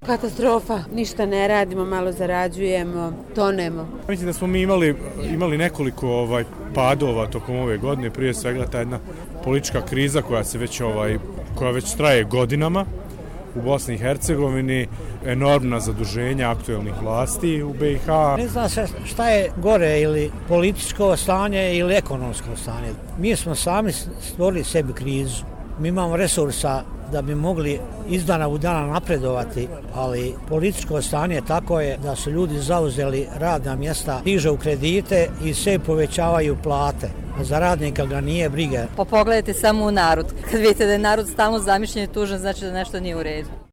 Katastrofa, ništa ne radimo, malo zarađujemo, tonemo. Mislim da smo mi imali nekoliko padova tokom ove godine, prije svega ta jedna politička kriza koja već traje godinama u Bosni i Hercegovini, enormna zaduženja aktuelnih vlasti u BiH. Ne zna se šta je gore, ili političko stanje ili ekonomsko stanje. Mi smo sami stvorili sebi krizu. Mi imamo resursa da bi mogli iz dana u dana napredovati, ali političko stanje tako je da su ljudi zauzeli radna mjesta, dižu kredite i sve povećavaju plate. Za radnika ga nije briga. Pa pogledajte samo u narod. Kad vidite da je narod stalno zamišljen i tužan, znači da nešto nije u redu.